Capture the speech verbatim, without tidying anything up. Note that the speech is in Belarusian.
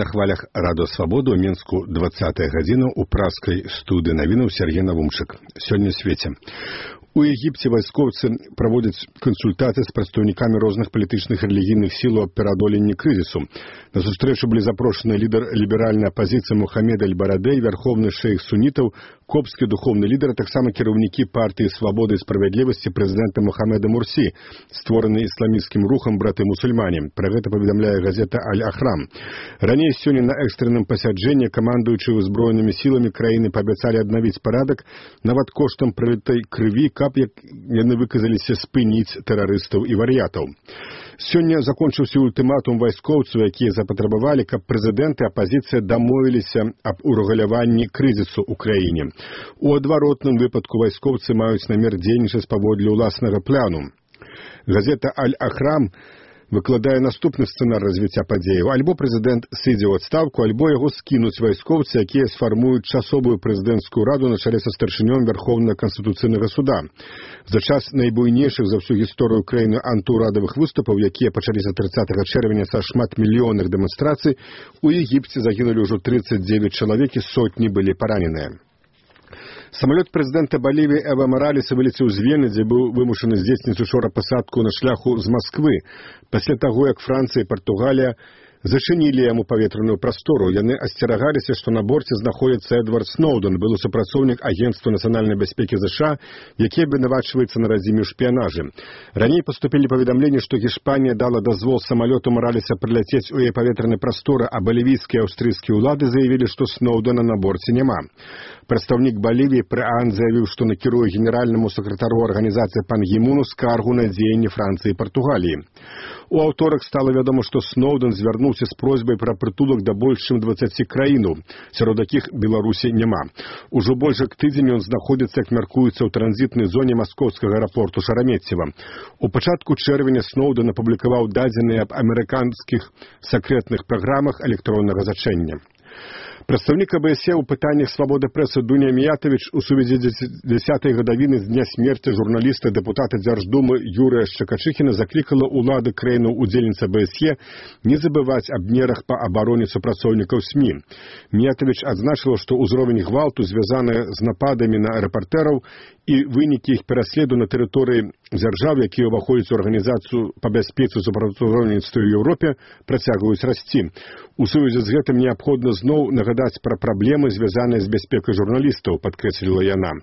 На хвалях Радо Свабоду ў Мінску двадцатая гадзіна ў праскай студыі навінаў Сергей Навумчык. Сёння ў свеце. У Егіпце вайскоўцы праводзяць кансультацыі з прадстаўнікамі розных палітычных і рэлігійных сілаў аб пераадоленні крызісу. На сустрэчу былі запрошаны лідар ліберальнай апазіцыі Мухаммед аль-Барадэй, вярхоўны шэйх сунітаў, копскі духоўны лідар, а таксама кіраўнікі партыі Свабоды і справядлівасці прэзідэнта Мухаммеда Мурсі, створаны ісламісцкім рухам браты-мусульмане. Пра гэта паведамляе газета Аль-Ахрам. Раней сёння на экстранным пасяджэнні камандуючыя ўзброенымі сіламі краіны паабяцалі аднавіць парадак нават коштам пралітай крыві, каб як яны выказаліся спыніць тэрарыстаў і вар'ятаў. Сёння закончыўся ультыматум вайскоўцаў, якія запатрабавалі, каб прэзідэнт і апазіцыя дамовіліся аб урэгуляванні крызісу ў краіне. У адваротным выпадку вайскоўцы маюць намер дзейнічаць паводле ўласнага плану. Газета Аль-Ахрам выкладае наступны сцэнар развіцця падзеяў. Альбо прэзідэнт сыдзе ў адстаўку, альбо яго скінуць вайскоўцы, якія сфармуюць часовую прэзідэнцкую раду на чале са старшынём Вярхоўнага канстытуцыйнага суда. За час найбуйнейшых за ўсю гісторыю краіны антыўрадавых выступаў, якія пачаліся трыццатага чэрвеня са шматмільённых дэманстрацый, у Егіпце загінулі ўжо трыццаць дзевяць чалавек і сотні былі параненыя. Самалёт прэзідэнта Балівіі Эва Маралеса вылецеў з Вены, дзе быў вымушаны здзейсніць учора пасадку на шляху з Масквы, пасля таго, як Францыя і Партугалія зачынілі яму паветраную прастору. Яны асцерагаліся, што на борце знаходзіцца Эдвард Сноўден, былы супрацоўнік Агентства нацыянальнай бяспекі ЗША, які абвінавачваецца на радзіме ў шпіянажы. Раней паступілі паведамленні, што Гішпанія дала дазвол самалёту Маралеса прыляцець у яе паветранай прасторы, а балівійскія і аўстрыйскія ўлады заявілі, што Сноўдена на борце няма. Прадстаўнік Балівіі пры ААН заявіў, што накіруе генеральнаму сакратару арганізацыі пан Гімуну скаргу на дзеянні Францыі і Партугаліі. У аўторак стала вядома, што Сноўден звярнуўся з просьбай пра прытулак да больш чым дваццаці краінаў, сярод якіх Беларусі няма. Ужо больш як тыдзень ён знаходзіцца, як мяркуецца, ў транзітнай зоне маскоўскага аэрапорту Шарамеццева. У пачатку чэрвеня Сноўден апублікаваў дадзеныя аб амерыканскіх сакрэтных праграмах электроннага зачэння. Прадстаўнік АБСЕ ў пытаннях свабоды прэсы Дуня Міятавіч у сувязі з дзясятай гадавіны з дня смерці журналіста дэпутата Дзярждумы Юрыя Шчакачыхіна заклікала ўлады краінаў-удзельніц АБСЕ не забываць аб мерах па абароне супрацоўнікаў СМІ. Міятавіч адзначыла, што ўзровень гвалту, звязаны з нападамі на рэпартэраў, і вынікі іх пераследу на тэрыторыі дзяржаў, якія ўваходзяць у арганізацыю па бяспецы і супрацоўніцтве ў Еўропе, працягваюць расці. У сувязі з гэтым неабходна зноў нагадаць пра праблемы, звязаныя з бяспекай журналістаў, падкрэсліла яна.